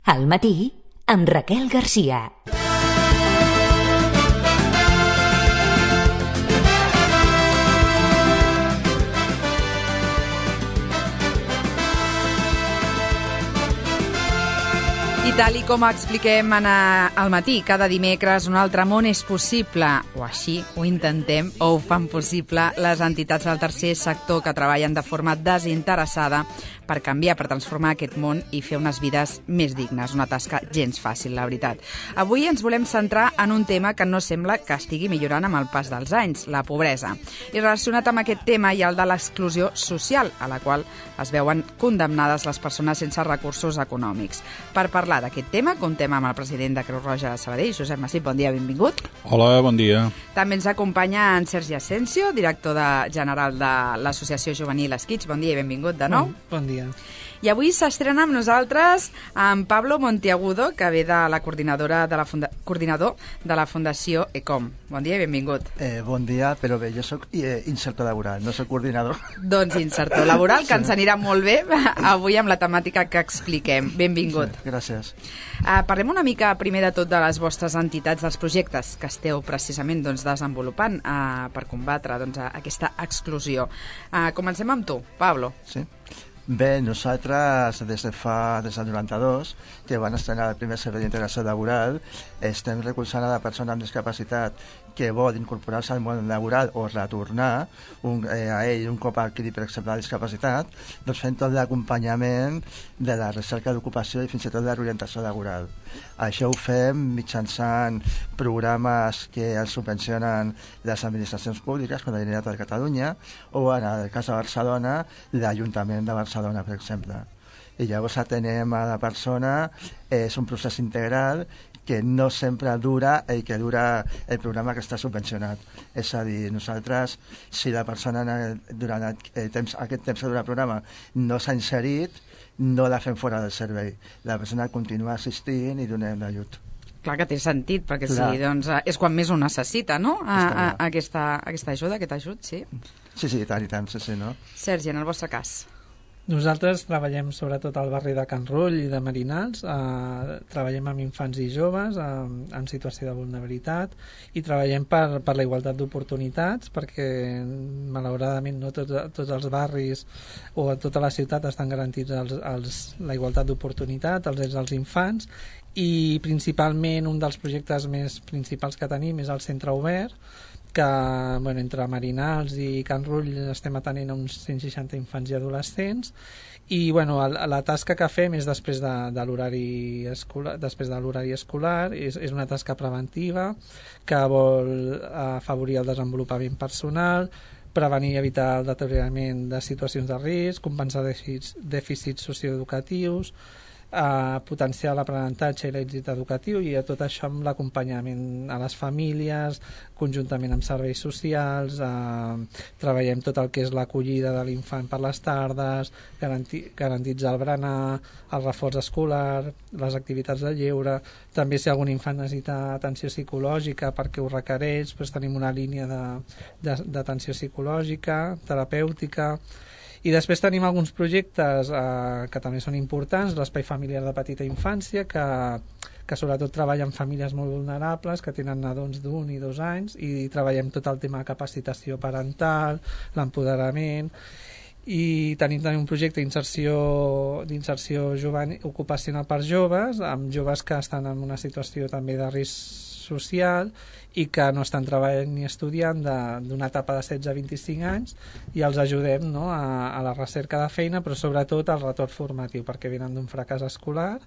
Al matí, amb Raquel Garcia. I tal com expliquem al matí, cada dimecres un altre món és possible, o així ho intentem, o ho fan possible les entitats del tercer sector que treballen de forma desinteressada per canviar, per transformar aquest món i fer unes vides més dignes. Una tasca gens fàcil, la veritat. Avui ens volem centrar en un tema que no sembla que estigui millorant amb el pas dels anys, la pobresa. I relacionat amb aquest tema hi ha el de l'exclusió social, a la qual es veuen condemnades les persones sense recursos econòmics. Per parlar d'aquest tema, comptem amb el president de Creu Roja de Sabadell, Josep Massip, bon dia, benvingut. Hola, bon dia. També ens acompanya en Sergi Asensio, director general de l'Associació Juvenil Esquitx. Bon dia i benvingut de nou. Bon dia. I avui s'estrena amb nosaltres en Pablo Monteagudo, que ve de la coordinador de la Fundació ECOM. Bon dia i benvingut. Bon dia, però bé, jo soc insertor laboral, no soc coordinador. Doncs insertor laboral, que ens anirà molt bé avui amb la temàtica que expliquem. Benvingut. Sí, gràcies. Parlem una mica primer de tot de les vostres entitats, dels projectes que esteu precisament desenvolupant per combatre aquesta exclusió. Comencem amb tu, Pablo. Sí. Bé, nosaltres des del 92, que van estrenar el primer servei d'integració laboral, estem recolzant a la persona amb discapacitat que vol incorporar-se al món laboral o retornar a ell un cop adquirit, per exemple, la discapacitat, doncs fent tot l'acompanyament de la recerca d'ocupació i fins i tot de l'orientació laboral. Això ho fem mitjançant programes que els subvencionen les administracions públiques, com la Generalitat de Catalunya, o en el cas de Barcelona, l'Ajuntament de Barcelona, per exemple. I llavors atenem a la persona, és un procés integral que no sempre dura el que dura el programa que està subvencionat. És a dir, nosaltres, si la persona durant aquest temps que dura el programa no s'ha inserit, no la fem fora del servei. La persona continua assistint i donem l'ajut. Clar que té sentit, perquè sí, doncs, és quan més ho necessita, no? Aquesta ajuda, aquest ajut, sí. Sí, tant, sí, no? Sergi, en el vostre cas. Nosaltres treballem sobretot al barri de Can Rull i de Marinals, treballem amb infants i joves en situació de vulnerabilitat i treballem per la igualtat d'oportunitats, perquè malauradament no tots els barris o a tota la ciutat estan garantits la igualtat d'oportunitat, els drets dels infants, i principalment un dels projectes més principals que tenim és el Centre Obert, que entre Marinals i Can Rull estem atenent a uns 160 infants i adolescents, i la tasca que fem és després de l'horari escolar, és una tasca preventiva que vol afavorir el desenvolupament personal, prevenir i evitar el deteriorament de situacions de risc, compensar dèficits socioeducatius, potenciar l'aprenentatge i l'èxit educatiu, i a tot això amb l'acompanyament a les famílies, conjuntament amb serveis socials, treballem tot el que és l'acollida de l'infant per les tardes, garantitzar el berenar, el reforç escolar, les activitats de lleure. També si algun infant necessita atenció psicològica perquè ho requereix, doncs tenim una línia d'atenció psicològica, terapèutica. I després tenim alguns projectes que també són importants, l'Espai Familiar de Petita Infància, que sobretot treballa amb famílies molt vulnerables, que tenen nadons d'1 i 2 anys, i treballem tot el tema de capacitació parental, l'empoderament, i tenim també un projecte d'inserció ocupacional per joves, amb joves que estan en una situació també de risc social i que no estan treballant ni estudiant d'una etapa de 16 a 25 anys, i els ajudem a la recerca de feina, però sobretot al retorn formatiu, perquè venen d'un fracàs escolar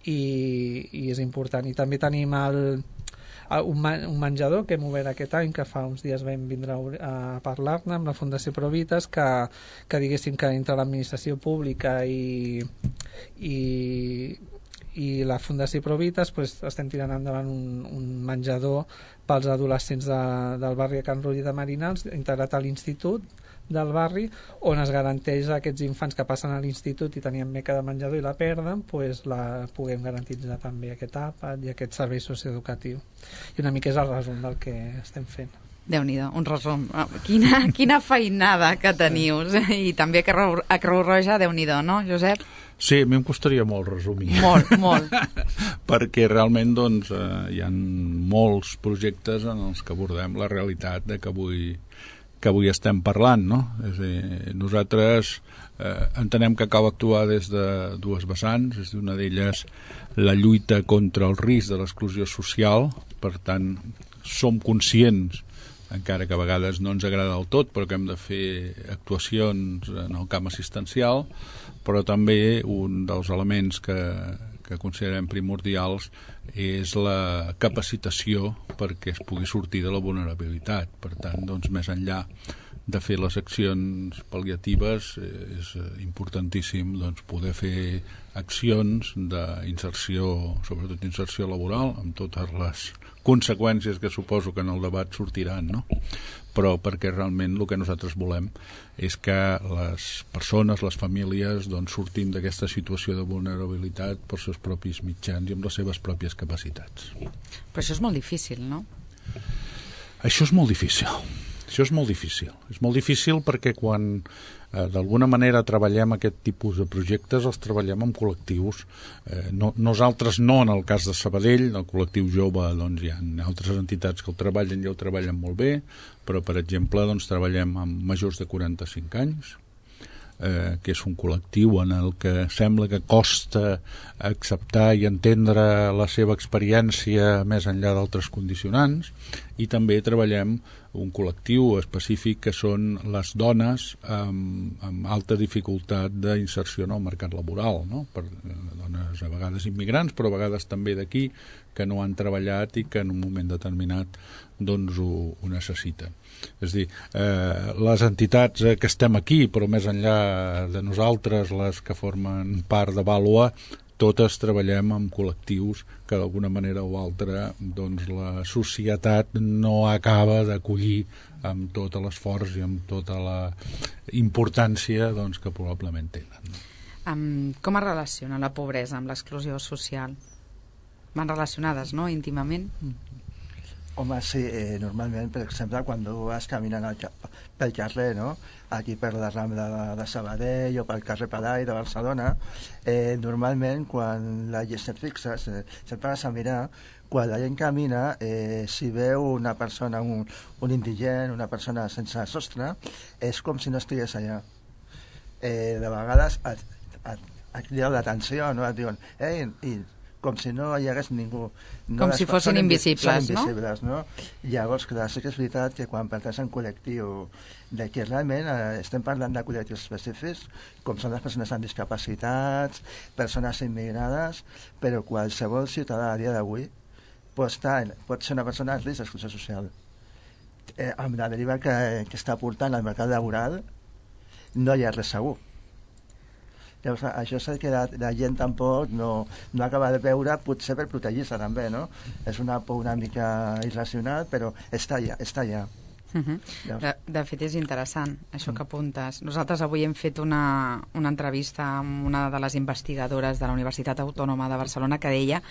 i és important. I també tenim un menjador que hem obert aquest any, que fa uns dies vam vindre a parlar-ne amb la Fundació Provites, que diguéssim que entre l'administració pública i la Fundació Provites estem tirant endavant un menjador pels adolescents del barri de Can Rull i de Marinals, integrat a l'institut del barri, on es garanteix a aquests infants que passen a l'institut i tenien beca de menjador i la perden, la puguem garantitzar també aquest àpat i aquest servei socioeducatiu. I una mica és el resum del que estem fent. Déu-n'hi-do, un resum. Quina feinada que teniu. I també a Creu Roja, Déu-n'hi-do, no, Josep? Sí, a mi em costaria molt resumir. Molt. Perquè realment doncs, hi ha molts projectes en els que abordem la realitat de que avui estem parlant, no? És a dir, nosaltres entenem que cal actuar des de dues vessants, és una d'elles la lluita contra el risc de l'exclusió social, per tant, som conscients, encara que a vegades no ens agrada del tot, però que hem de fer actuacions en el camp assistencial, però també un dels elements que considerem primordials és la capacitació perquè es pugui sortir de la vulnerabilitat. Per tant, doncs, més enllà de fer les accions pal·liatives, és importantíssim doncs, poder fer accions d'inserció, sobretot inserció laboral, amb totes les conseqüències que suposo que en el debat sortiran, no? Però perquè realment el que nosaltres volem és que les persones, les famílies, doncs, sortim d'aquesta situació de vulnerabilitat pels seus propis mitjans i amb les seves pròpies capacitats. Però això és molt difícil, no? Això és molt difícil. És molt difícil perquè quan d'alguna manera treballem aquest tipus de projectes els treballem amb col·lectius. Nosaltres no en el cas de Sabadell, el col·lectiu jove, doncs hi ha altres entitats que el treballen i el treballen molt bé, però per exemple doncs, treballem amb majors de 45 anys, que és un col·lectiu en el que sembla que costa acceptar i entendre la seva experiència més enllà d'altres condicionants, i també treballem un col·lectiu específic que són les dones amb alta dificultat d'inserció en el mercat laboral, no? Per dones a vegades immigrants, però a vegades també d'aquí, que no han treballat i que en un moment determinat doncs ho necessiten. És a dir, les entitats que estem aquí, però més enllà de nosaltres, les que formen part de Vàlua, totes treballem amb col·lectius que d'alguna manera o altra doncs, la societat no acaba d'acollir amb tot l'esforç i amb tota la importància doncs, que probablement tenen. Com es relaciona la pobresa amb l'exclusió social? Van relacionades, no?, íntimament? Home, sí, normalment, per exemple, quan tu vas caminant pel carrer, no?, aquí per la Rambla de Sabadell o pel carrer Palau de Barcelona, normalment, quan la gent et fixes, sempre vas a mirar, quan la gent camina, si veu una persona, un indigent, una persona sense sostre, és com si no estigués allà. De vegades et crida l'atenció, no?, et diuen, com si no hi hagués ningú. No, com si fossin invisibles, no? Llavors, clar, sí que és veritat que quan pertanyes a un col·lectiu de que realment estem parlant de col·lectius específics, com són les persones amb discapacitats, persones immigrades, però qualsevol ciutadà a dia d'avui pot ser una persona en risc d'exclusió social. Amb la deriva que està portant al mercat laboral no hi ha res segur. Llavors, això és el que la gent tampoc no acaba de veure, potser per protegir-se també, no? És una por una mica irracional, però està allà. De fet, és interessant això que apuntes. Nosaltres avui hem fet una entrevista amb una de les investigadores de la Universitat Autònoma de Barcelona que deia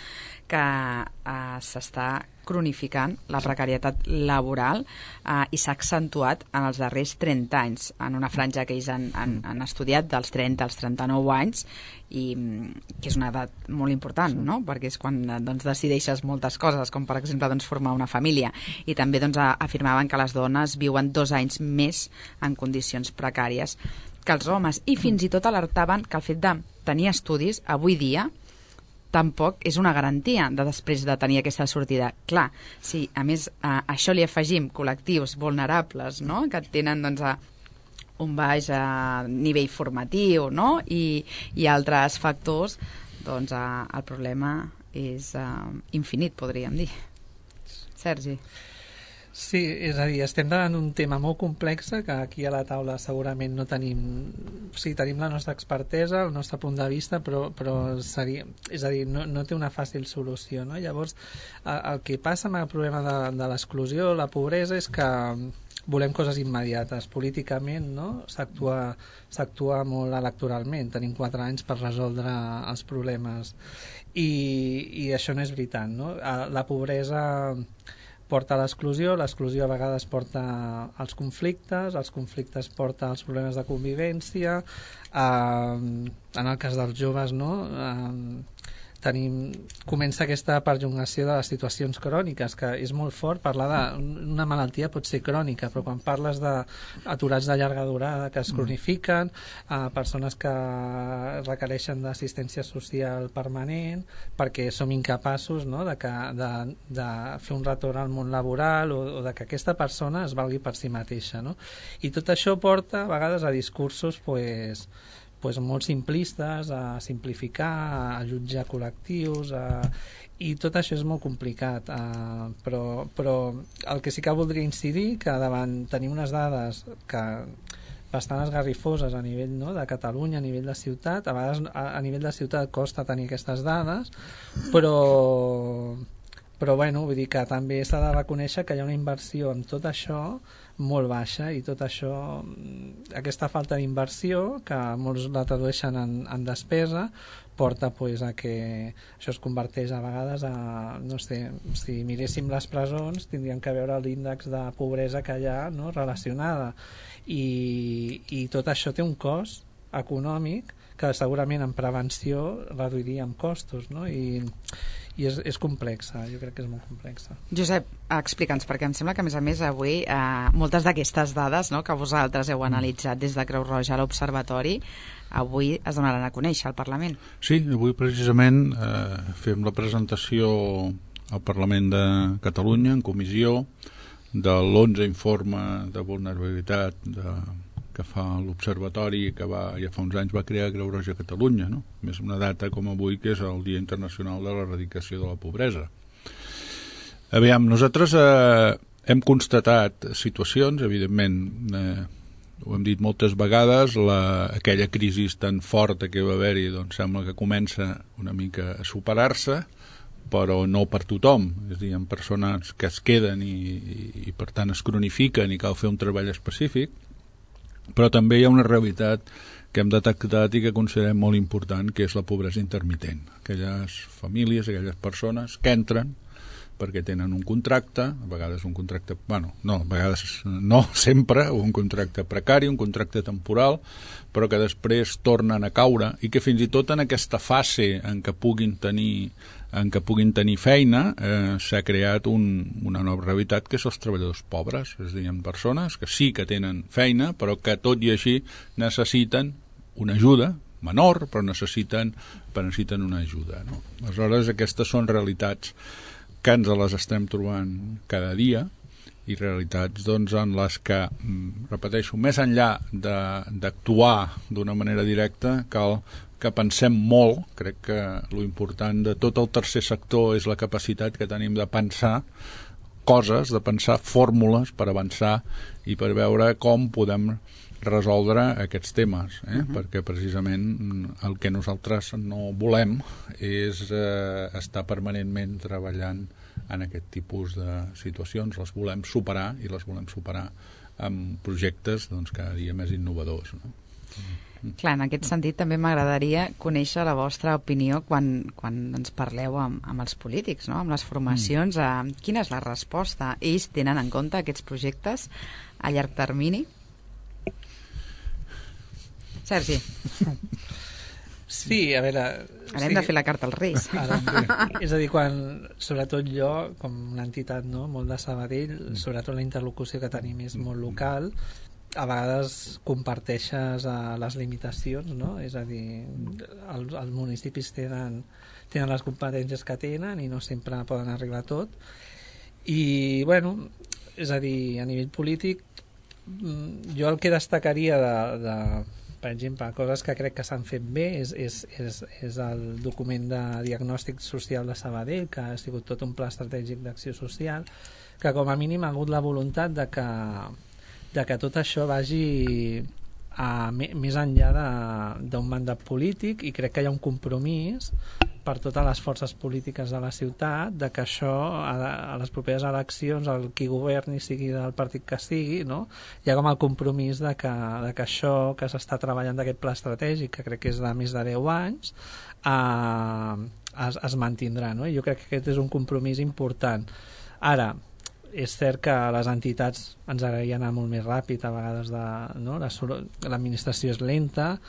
que s'està cronificant la precarietat laboral i s'ha accentuat en els darrers 30 anys, en una franja que ells han estudiat dels 30 als 39 anys, i que és una edat molt important, no? Perquè és quan doncs, decideixes moltes coses, com per exemple doncs, formar una família, i també doncs, afirmaven que les dones viuen 2 anys més en condicions precàries que els homes, i fins i tot alertaven que el fet de tenir estudis avui dia tampoc és una garantia de després de tenir aquesta sortida. Clar, si a més a això li afegim col·lectius vulnerables, no?, que tenen doncs, un baix nivell formatiu, no?, i altres factors, doncs el problema és infinit, podríem dir. Sergi. Sí, és a dir, estem davant un tema molt complex que aquí a la taula segurament no tenim... O sigui, tenim la nostra expertesa, el nostre punt de vista, però seria... És a dir, no té una fàcil solució, no? Llavors, el que passa amb el problema de l'exclusió, la pobresa, és que volem coses immediates. Políticament, no?, s'actua molt electoralment. Tenim 4 anys per resoldre els problemes. I això no és veritat, no? La pobresa... porta a l'exclusió a vegades porta als conflictes, els conflictes porta als problemes de convivència, en el cas dels joves, no? Comença aquesta perllongació de les situacions cròniques, que és molt fort parlar d'una malaltia, pot ser crònica, però quan parles d'aturats de llarga durada que es cronifiquen, persones que requereixen d'assistència social permanent perquè som incapaços, no?, de fer un retorn al món laboral o de que aquesta persona es valgui per si mateixa, no? I tot això porta a vegades a discursos molt simplistes, a simplificar, a jutjar col·lectius, i tot això és molt complicat, però el que sí que voldria incidir, que davant tenim unes dades que bastant esgarrifoses a nivell, no?, de Catalunya, a nivell de ciutat, a vegades a nivell de ciutat costa tenir aquestes dades, però bueno, vull dir que també s'ha de reconèixer que hi ha una inversió en tot això molt baixa, i tot això, aquesta falta d'inversió, que molts la tradueixen en despesa, porta a que això es converteix a vegades no sé, si miréssim les presons tindríem que veure l'índex de pobresa que hi ha, no?, relacionada, i tot això té un cost econòmic que segurament en prevenció reduiria en costos, no? I és complexa, jo crec que és molt complexa. Josep, explica'ns, perquè em sembla que a més avui moltes d'aquestes dades, no?, que vosaltres heu analitzat des de Creu Roja a l'Observatori, avui es donaran a conèixer al Parlament. Sí, avui precisament fem la presentació al Parlament de Catalunya en comissió de l'11 informe de vulnerabilitat que fa l'Observatori, que ja fa uns anys va crear Creu Roja a Catalunya, no? Més una data com avui, que és el Dia Internacional de l'Erradicació de la Pobresa. Aviam, nosaltres hem constatat situacions, evidentment, ho hem dit moltes vegades, aquella crisi tan forta que va haver-hi, doncs sembla que comença una mica a superar-se, però no per tothom, és a dir, hi ha persones que es queden i per tant es cronifiquen i cal fer un treball específic, però també hi ha una realitat que hem detectat i que considerem molt important, que és la pobresa intermitent. Aquelles famílies, aquelles persones que entren perquè tenen un contracte, a vegades un contracte, a vegades no sempre, un contracte precari, un contracte temporal, però que després tornen a caure i que fins i tot en aquesta fase en què puguin tenir feina s'ha creat una nova realitat, que és els treballadors pobres, és a dir, persones que sí que tenen feina, però que tot i així necessiten una ajuda menor, però necessiten una ajuda, no? Aleshores, aquestes són realitats que ens les estem trobant cada dia, i realitats doncs, en les que, repeteixo, més enllà d'actuar d'una manera directa, cal que pensem molt. Crec que l'important de tot el tercer sector és la capacitat que tenim de pensar coses, de pensar fórmules per avançar i per veure com podem resoldre aquests temes, perquè precisament el que nosaltres no volem és estar permanentment treballant en aquest tipus de situacions. Les volem superar, i les volem superar amb projectes cada dia més innovadors, no? Clar, en aquest sentit també m'agradaria conèixer la vostra opinió quan ens parleu amb els polítics, no?, amb les formacions. Quina és la resposta? Ells tenen en compte aquests projectes a llarg termini? Sergi. Sí, a veure... Ara hem de fer la carta als Reis. És a dir, sobretot jo, com una entitat, no?, molt de Sabadell, sobretot la interlocució que tenim és molt local, a vegades comparteixes les limitacions, no? És a dir, els municipis tenen les competències que tenen i no sempre poden arribar a tot. I, bueno, és a dir, a nivell polític, jo el que destacaria per exemple, coses que crec que s'han fet bé és el document de diagnòstic social de Sabadell, que ha sigut tot un pla estratègic d'acció social, que com a mínim ha hagut la voluntat de que tot això vagi més enllà d'un mandat polític, i crec que hi ha un compromís per totes les forces polítiques de la ciutat de que això, a les properes eleccions, el qui governi sigui del partit que sigui, no?, hi ha com el compromís de que això que s'està treballant d'aquest pla estratègic, que crec que és de més de 10 anys, es mantindrà, no? I jo crec que aquest és un compromís important. Ara, és cert que les entitats ens agradaria anar molt més ràpid, a vegades l'administració és lenta,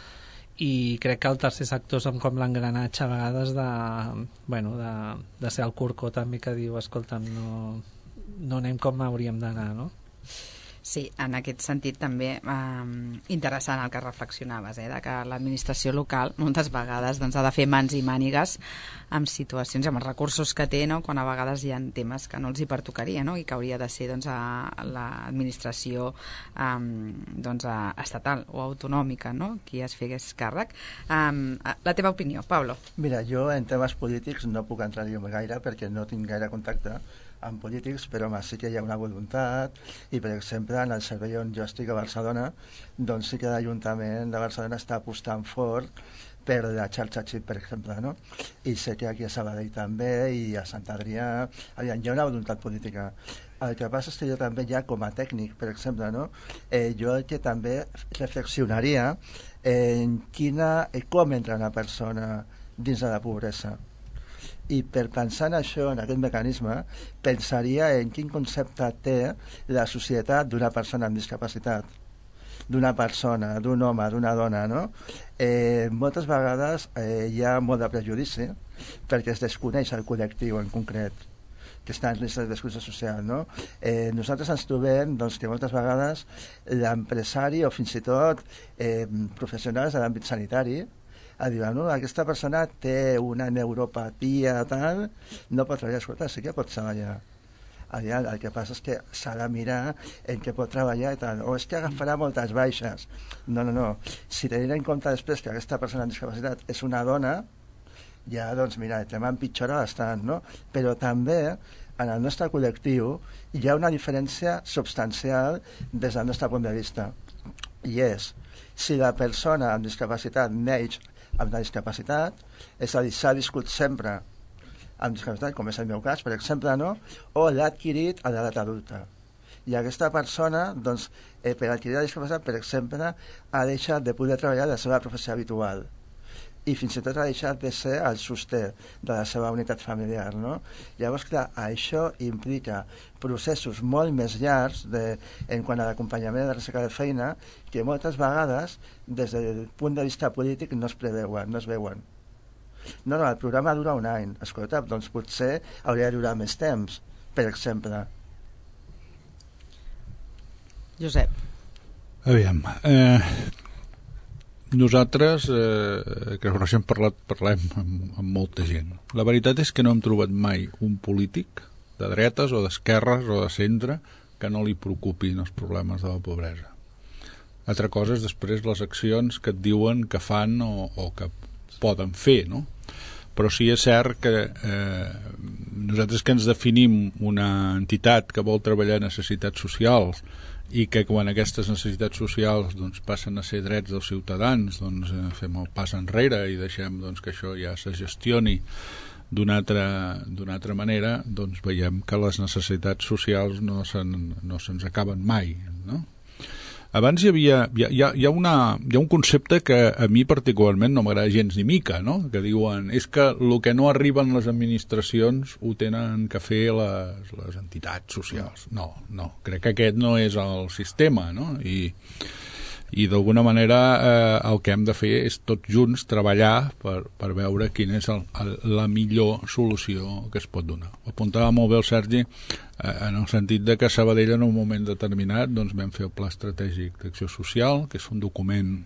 i crec que el tercer sector som com l'engranatge a vegades de ser el corcó també, que diu, escolta'm, no anem com hauríem d'anar, no? Sí, en aquest sentit també interessant el que reflexionaves, de que l'administració local moltes vegades ha de fer mans i mànigues amb situacions, amb els recursos que té, quan a vegades hi ha temes que no els hi pertocaria, i que hauria de ser l'administració estatal o autonòmica, qui es fes càrrec. La teva opinió, Pablo? Mira, jo en temes polítics no puc entrar-hi gaire perquè no tinc gaire contacte amb polítics, però sí que hi ha una voluntat, i per exemple en el servei on jo estic a Barcelona, doncs sí que l'Ajuntament de Barcelona està apostant fort per la xarxa xip, per exemple, i sé que aquí a Sabadell també, i a Sant Adrià hi ha una voluntat política. El que passa és que jo també ja com a tècnic, per exemple, jo el que també reflexionaria en com entra una persona dins de la pobresa. I per pensar en això, en aquest mecanisme, pensaria en quin concepte té la societat d'una persona amb discapacitat, d'una persona, d'un home, d'una dona, moltes vegades hi ha molt de prejudici perquè es desconeix el col·lectiu en concret que està en risc d'exclusió social, nosaltres ens trobem que moltes vegades l'empresari o fins i tot professionals de l'àmbit sanitari diuen, aquesta persona té una neuropatia tal, no pot treballar. Escolta, sí que pot treballar. El que passa és que s'ha de mirar en què pot treballar i tal, o és que agafarà moltes baixes. No. Si tenim en compte després que aquesta persona amb discapacitat és una dona, ja, doncs mira, el tema empitjora bastant, Però també en el nostre col·lectiu hi ha una diferència substancial des del nostre punt de vista, i és si la persona amb discapacitat neix amb la discapacitat, és a dir, s'ha viscut sempre amb discapacitat, com és el meu cas, per exemple, o l'ha adquirit a l'edat adulta. I aquesta persona, doncs, per adquirir la discapacitat, per exemple, ha deixat de poder treballar la seva professió habitual, i fins i tot ha deixat de ser el sosté de la seva unitat familiar, Llavors, clar, això implica processos molt més llargs en quant a l'acompanyament de la recerca de feina, que moltes vegades, des del punt de vista polític, no es preveuen, no es veuen. No, el programa dura un any. Escolta, doncs potser hauria de durar més temps, per exemple. Josep. Aviam, nosaltres que hem parlem amb molta gent. La veritat és que no hem trobat mai un polític de dretes o d'esquerres o de centre que no li preocupin els problemes de la pobresa. Altra cosa és després les accions que et diuen que fan o que poden fer, Però sí és cert que nosaltres que ens definim una entitat que vol treballar necessitats socials i que quan aquestes necessitats socials passen a ser drets dels ciutadans, fem el pas enrere i deixem que això ja se gestioni d'una altra manera, veiem que les necessitats socials no se'ns acaben mai, Abans hi ha un concepte que a mi particularment no m'agrada gens ni mica, que diuen és que el que no arriben les administracions ho tenen que fer les entitats socials. No, crec que aquest no és el sistema, i d'alguna manera el que hem de fer és tots junts treballar per veure quina és la millor solució que es pot donar. Ho apuntava molt bé el Sergi en el sentit de que a Sabadell en un moment determinat vam fer el Pla Estratègic d'Acció Social, que és un document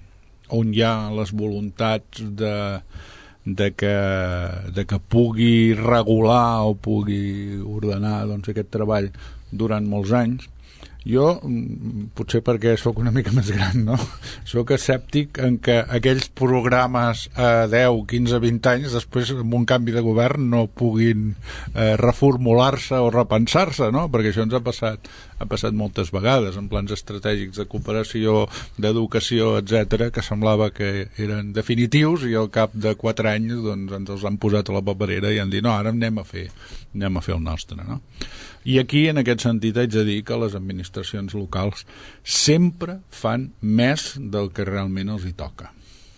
on hi ha les voluntats de que pugui regular o pugui ordenar aquest treball durant molts anys. Jo, potser perquè sóc una mica més gran, sóc escèptic en que aquells programes a 10, 15, 20 anys després amb un canvi de govern no puguin reformular-se o repensar-se, perquè això ens ha passat moltes vegades en plans estratègics de cooperació, d'educació, etc, que semblava que eren definitius i al cap de 4 anys ens els han posat a la paperera i han dit no, ara anem a fer el nostre, I aquí, en aquest sentit, haig de dir que les administracions locals sempre fan més del que realment els hi toca.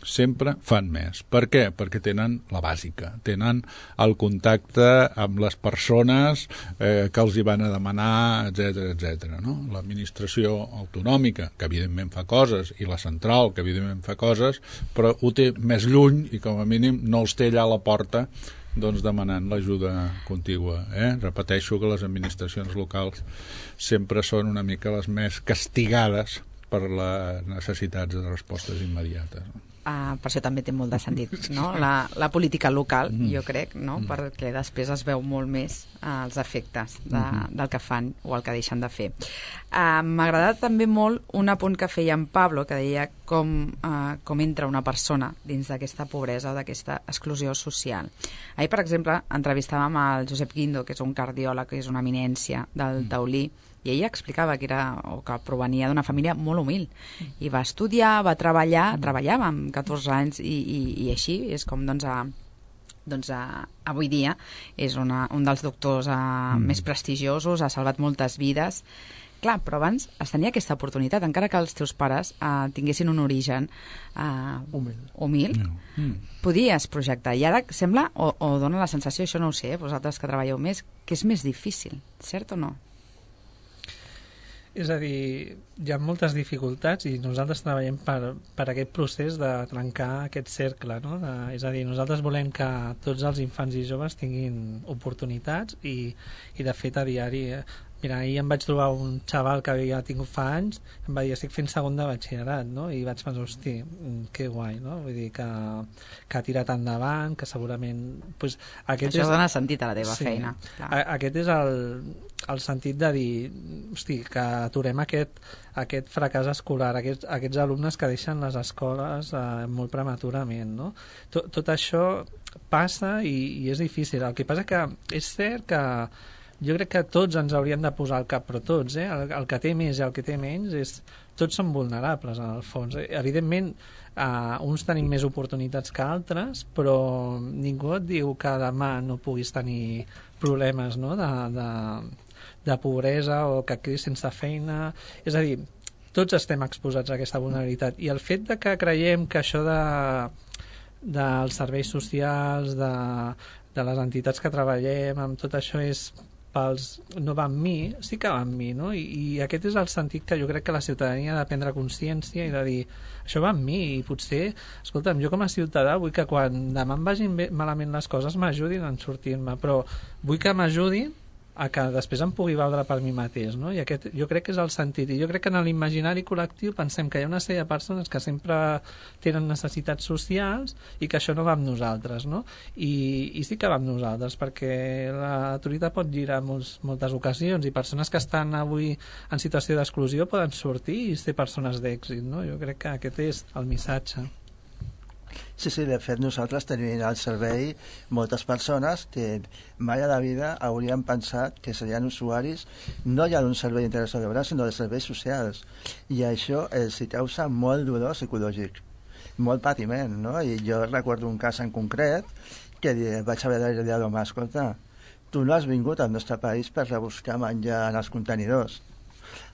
sempre fan més. Per què? Perquè tenen la bàsica, tenen el contacte amb les persones que els hi van a demanar, etc. No? L'administració autonòmica, que evidentment fa coses, i la central, que evidentment fa coses, però ho té més lluny i com a mínim no els té allà a la porta doncs demanant l'ajuda contigua. Repeteixo que les administracions locals sempre són una mica les més castigades per les necessitats de respostes immediates. Per això també té molt de sentit, no? La política local, jo crec, no? Perquè després es veu molt més els efectes del que fan o el que deixen de fer. M'ha agradat també molt un apunt que feia en Pablo, que deia com entra una persona dins d'aquesta pobresa o d'aquesta exclusió social. Ahir, per exemple, entrevistàvem el Josep Guindo, que és un cardiòleg, que és una eminència del Taulí, i ella explicava que provenia d'una família molt humil i va estudiar, va treballar, treballava amb 14 anys i així és com avui dia és un dels doctors més prestigiosos, ha salvat moltes vides. Clar, però abans es tenia aquesta oportunitat, encara que els teus pares tinguessin un origen humil, podies projectar. I ara sembla, o dona la sensació, això no ho sé, vosaltres que treballeu més, que és més difícil, cert o no? És a dir, hi ha moltes dificultats i nosaltres treballem per aquest procés de trencar aquest cercle, no? És a dir, nosaltres volem que tots els infants i joves tinguin oportunitats i de fet a diari... Mira, ahir em vaig trobar un xaval que havia tingut fa anys, em va dir, estic fent segon de batxillerat, no? I vaig pensar, hosti, que guai, no? Vull dir que ha tirat endavant, que segurament... Pues, això dona sentit a la teva feina. Clar. Aquest és el sentit de dir, hosti, que aturem aquest fracàs escolar, aquests alumnes que deixen les escoles molt prematurament, no? Tot això passa i és difícil. El que passa que és cert que jo crec que tots ens hauríem de posar al cap, però tots, el que té més i el que té menys, tots són vulnerables en el fons. Evidentment, uns tenim més oportunitats que altres, però ningú et diu que demà no puguis tenir problemes, no? de pobresa o que quedis sense feina. És a dir, tots estem exposats a aquesta vulnerabilitat i el fet de que creiem que això dels serveis socials, de les entitats que treballem, amb tot això no va amb mi, sí que va amb mi, no? I aquest és el sentit que jo crec que la ciutadania ha de prendre consciència i de dir, això va amb mi i potser, escolta'm, jo com a ciutadà vull que quan demà em vagin malament les coses m'ajudin a sortir-me, però vull que m'ajudin a que després em pugui valdre per mi mateix, no? I aquest jo crec que és el sentit, i jo crec que en l'imaginari col·lectiu pensem que hi ha una sèrie de persones que sempre tenen necessitats socials i que això no va amb nosaltres, no? I sí que va amb nosaltres, perquè l'autoritat pot girar en moltes ocasions i persones que estan avui en situació d'exclusió poden sortir i ser persones d'èxit, no? Jo crec que aquest és el missatge. Sí, de fet nosaltres tenim al servei moltes persones que mai a la vida haurien pensat que serien usuaris no ja d'un servei d'integració laboral sinó de serveis socials, i això els causa molt dolor psicològic, molt patiment, no? I jo recordo un cas en concret que vaig haver de dir a l'home, escolta, tu no has vingut al nostre país per rebuscar menjar en els contenidors,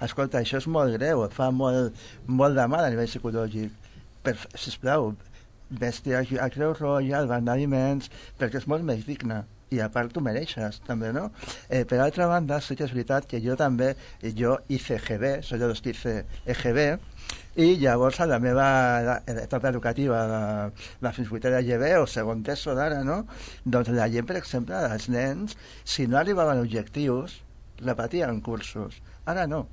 escolta, això és molt greu, et fa molt de mal a nivell psicològic, sisplau, vés-te a Creu Roja, al banc d'aliments, perquè és molt més digne i a part tu mereixes també, no? Per altra banda, sí que és veritat que jo també, jo hice EGB, soy de los que hice EGB, i llavors a la meva etapa educativa la fins vuitena EGB o segon d'ESO d'ara, no? Doncs la gent, per exemple, els nens, si no arribaven objectius, repetien cursos. Ara no.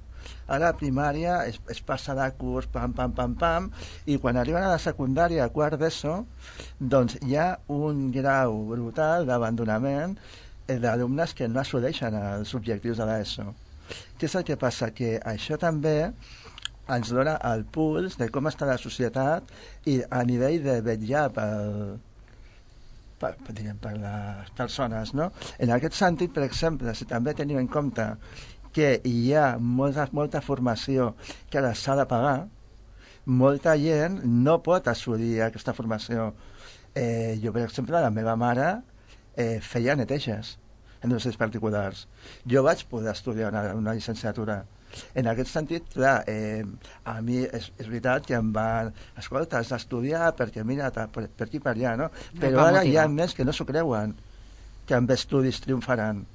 Ara a primària es passa de curs, pam, i quan arriben a la secundària, a quart d'ESO, doncs hi ha un grau brutal d'abandonament d'alumnes que no assoleixen els objectius de l'ESO. Què és el que passa? Que això també ens dona el puls de com està la societat i a nivell de vetllar per les persones, no? En aquest sentit, per exemple, si també tenim en compte que hi ha molta formació que ara s'ha de pagar, molta gent no pot assolir aquesta formació. Jo, per exemple, la meva mare feia neteges en universitats particulars. Jo vaig poder estudiar una llicenciatura, En aquest sentit, clar, a mi és veritat que em van... Escolta, has d'estudiar perquè mira, per aquí per allà, no? Però ara hi ha més que no s'ho creuen, que amb estudis triomfaran.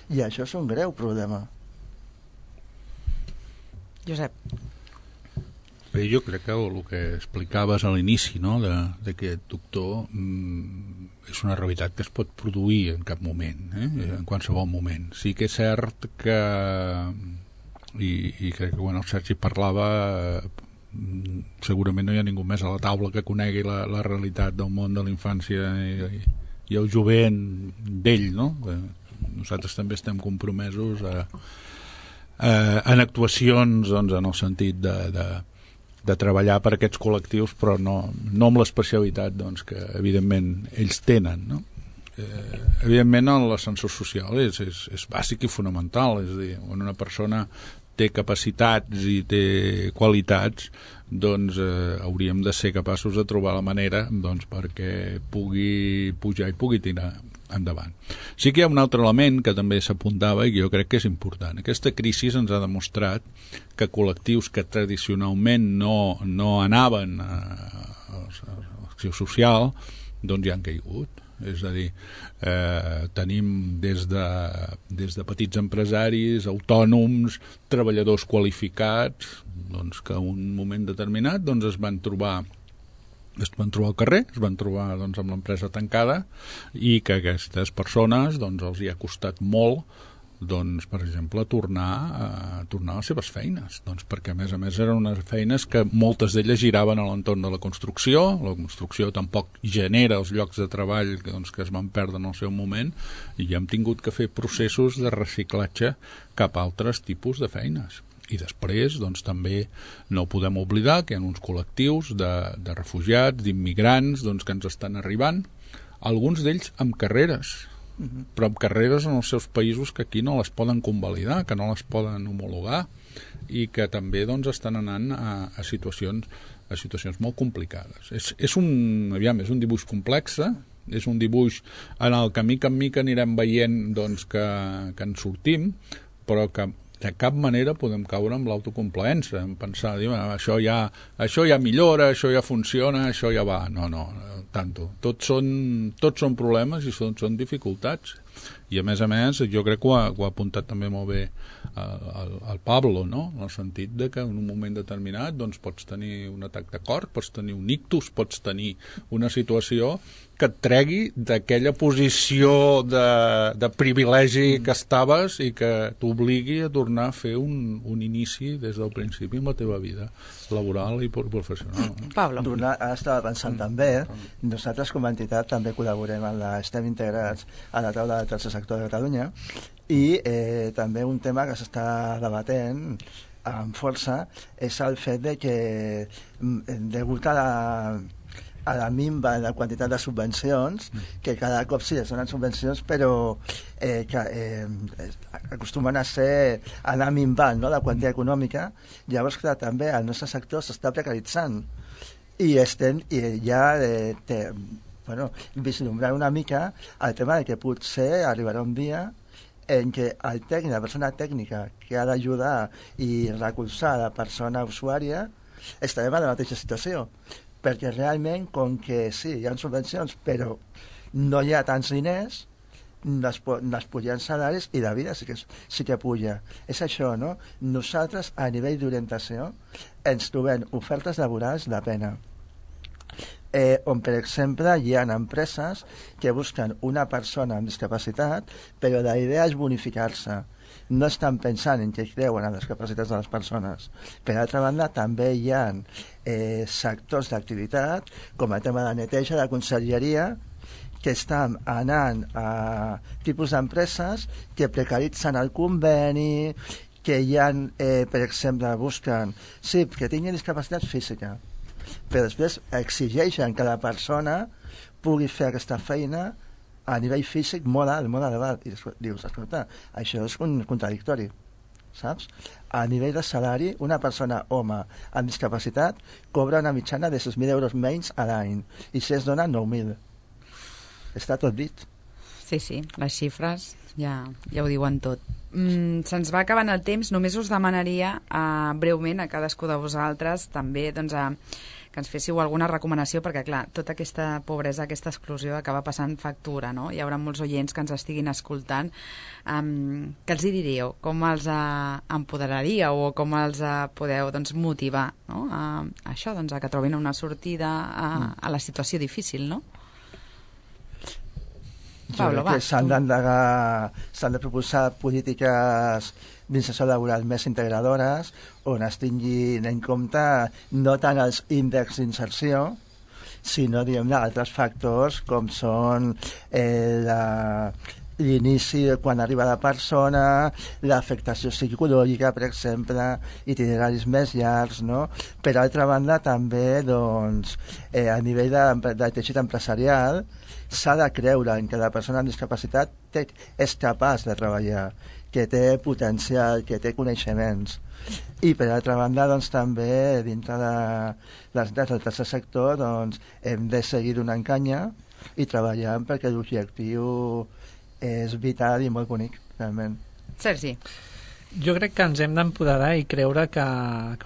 I això és un greu problema. Josep. Bé, jo crec que el que explicaves a l'inici, no?, d'aquest doctor, és una realitat que es pot produir en cap moment, en qualsevol moment. Sí que és cert que, i crec que quan el Sergi parlava, segurament no hi ha ningú més a la taula que conegui la realitat del món de la infància i el jovent d'ell, no? Nosaltres també estem compromesos en actuacions, doncs, en el sentit de treballar per aquests col·lectius, però no amb l'especialitat, doncs, que evidentment ells tenen, no? Evidentment l'ascensor social és bàsic i fonamental, és a dir, quan una persona té capacitats i té qualitats, doncs hauríem de ser capaços de trobar la manera, doncs, perquè pugui pujar i pugui tirar endavant. Sí que hi ha un altre element que també s'apuntava i que jo crec que és important. Aquesta crisi ens ha demostrat que col·lectius que tradicionalment no anaven a l'acció social, doncs ja han caigut. És a dir, tenim des de petits empresaris, autònoms, treballadors qualificats, doncs, que en un moment determinat doncs, es van trobar al carrer, es van trobar, doncs, amb l'empresa tancada, i que aquestes persones, doncs, els hi ha costat molt, doncs, per exemple, tornar a les seves feines, doncs, perquè a més eren unes feines que moltes d'elles giraven a l'entorn de la construcció tampoc genera els llocs de treball doncs, que es van perdre en el seu moment, i hem tingut que fer processos de reciclatge cap a altres tipus de feines. I després, doncs, també no podem oblidar que hi ha uns col·lectius de refugiats, d'immigrants, doncs, que ens estan arribant, alguns d'ells amb carreres, però amb carreres en els seus països que aquí no les poden convalidar, que no les poden homologar, i que també, doncs, estan anant a situacions molt complicades. És un dibuix complex, és un dibuix en el que mica en mica anirem veient, doncs, que en sortim, però que de cap manera podem caure amb l'autocomplaença, en pensar, això ja millora, això ja funciona, això ja va. No, tanto. Tots són problemes i són dificultats. I a més, jo crec que ho ha apuntat també molt bé el Pablo, no? En el sentit de que en un moment determinat doncs, pots tenir un atac de cor, pots tenir un ictus, pots tenir una situació que et tregui d'aquella posició de privilegi que estaves i que t'obligui a tornar a fer un inici des del principi en la teva vida laboral i professional. Pablo. Estava pensant també, nosaltres com a entitat també col·laborem estem integrats a la taula del tercer sector de Catalunya i també un tema que s'està debatent amb força és el fet de que degut a la minva de la quantitat de subvencions, que cada cop sí es donen subvencions, però acostumen a anar minvant, no?, la quantia econòmica. Llavors, clar, també el nostre sector s'està precaritzant i ja vislumbrant una mica el tema de que potser arribarà un dia en què la persona tècnica que ha d'ajudar i recolzar la persona usuària estarem en la mateixa situació, perquè realment, com que sí, hi ha subvencions, però no hi ha tants diners, les pugen salaris i la vida sí que puja. És això, no? Nosaltres, a nivell d'orientació, ens trobem ofertes laborals de pena, on, per exemple, hi ha empreses que busquen una persona amb discapacitat, però la idea és bonificar-se. No estan pensant en què creuen en les capacitats de les persones. Per altra banda, també hi ha sectors d'activitat, com el tema de neteja, de conselleria, que estan anant a tipus d'empreses que precaritzen el conveni, que hi ha, per exemple, busquen que tinguin discapacitat física, però després exigeixen que la persona pugui fer aquesta feina a nivell físic molt elevat. I dius, escolta, això és contradictori, saps? A nivell de salari, una persona home amb discapacitat cobra una mitjana de 6.000 euros menys a l'any, i si es dona 9.000. Està tot dit. Sí, les xifres ja ho diuen tot. se'ns va acabant el temps. Només us demanaria breument a cadascú de vosaltres també doncs, que ens féssiu alguna recomanació, perquè, clar, tota aquesta pobresa, aquesta exclusió acaba passant factura, no? Hi haurà molts oients que ens estiguin escoltant. Què els hi diríeu? Com els empoderaríeu o com els podeu doncs, motivar, no? A això, doncs, a que trobin una sortida a la situació difícil, no? Pablo, va. S'han de proposar polítiques d'inserció laboral més integadores on es tinguin en compte no tant els índexs d'inserció sinó altres factors com són l'inici quan arriba la persona, l'afectació psicològica, per exemple, itineraris més llargs, no? Per altra banda, també doncs, a nivell de teixit empresarial s'ha de creure en que la persona amb discapacitat és capaç de treballar, que té potencial, que té coneixements. I per altra banda, doncs, també dintre de les entitats del tercer sector doncs, hem de seguir donant canya i treballant perquè l'objectiu és vital i molt bonic, realment. Sergi. Jo crec que ens hem d'empoderar i creure que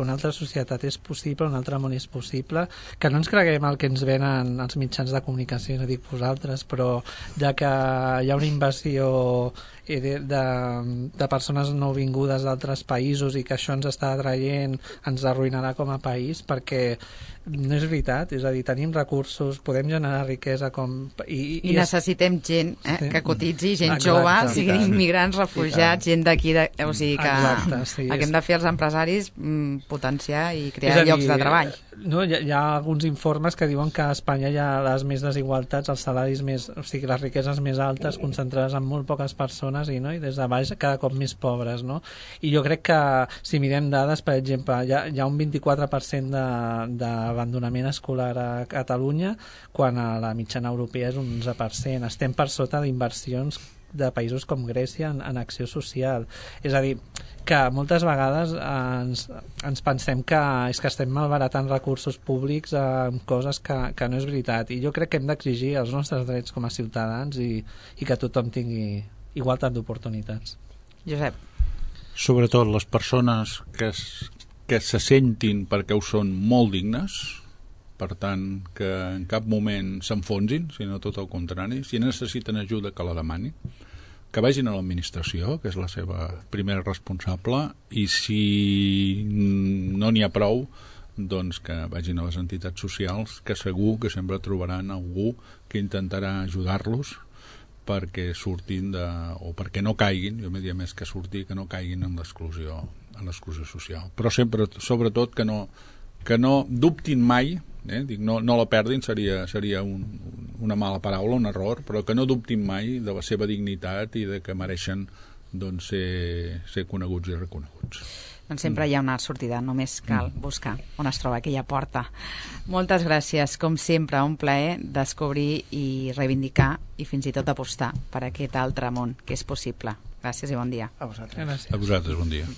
una altra societat és possible, un altre món és possible, que no ens creguem el que ens venen els mitjans de comunicació, no dic vosaltres, però ja que hi ha una invasió de persones nouvingudes d'altres països i que això ens està atraient, ens arruïnarà com a país, perquè no és veritat, és a dir, tenim recursos, podem generar riquesa i necessitem gent que cotitzi, gent jove, siguin immigrants, refugiats, gent d'aquí, o sigui que el que hem de fer els empresaris potenciar i crear llocs de treball. No, hi ha alguns informes que diuen que a Espanya hi ha les més desigualtats, els salaris més, o sigui, les riqueses més altes concentrades en molt poques persones i des de baix cada cop més pobres, no? I jo crec que si mirem dades, per exemple, hi ha un 24% d'abandonament escolar a Catalunya, quan a la mitjana europea és un 11%. Estem per sota d'inversions de països com Grècia en acció social. És a dir, que moltes vegades ens pensem que és que estem malbaratant recursos públics amb coses que no és veritat. I jo crec que hem d'exigir els nostres drets com a ciutadans i que tothom tingui igualtat d'oportunitats. Josep. Sobretot les persones que se sentin perquè ho són molt dignes, per tant que en cap moment s'enfonsin, sinó tot el contrari. Si necessiten ajuda, que la demanin, que vagin a l'administració, que és la seva primera responsable, i si no n'hi ha prou, doncs que vagin a les entitats socials, que segur que sempre trobaran algú que intentarà ajudar-los perquè surtin o perquè no caiguin, jo m'he dit més que sortir, que no caiguin en l'exclusió social. Però sempre, sobretot, que no dubtin mai, dic, no la perdin, seria una mala paraula, un error, però que no dubtin mai de la seva dignitat i de que mereixen doncs, ser coneguts i reconeguts. Doncs sempre hi ha una sortida, només cal buscar on es troba aquella porta. Moltes gràcies, com sempre, un plaer descobrir i reivindicar i fins i tot apostar per aquest altre món que és possible. Gràcies i bon dia. A vosaltres. Gràcies. A vosaltres, bon dia.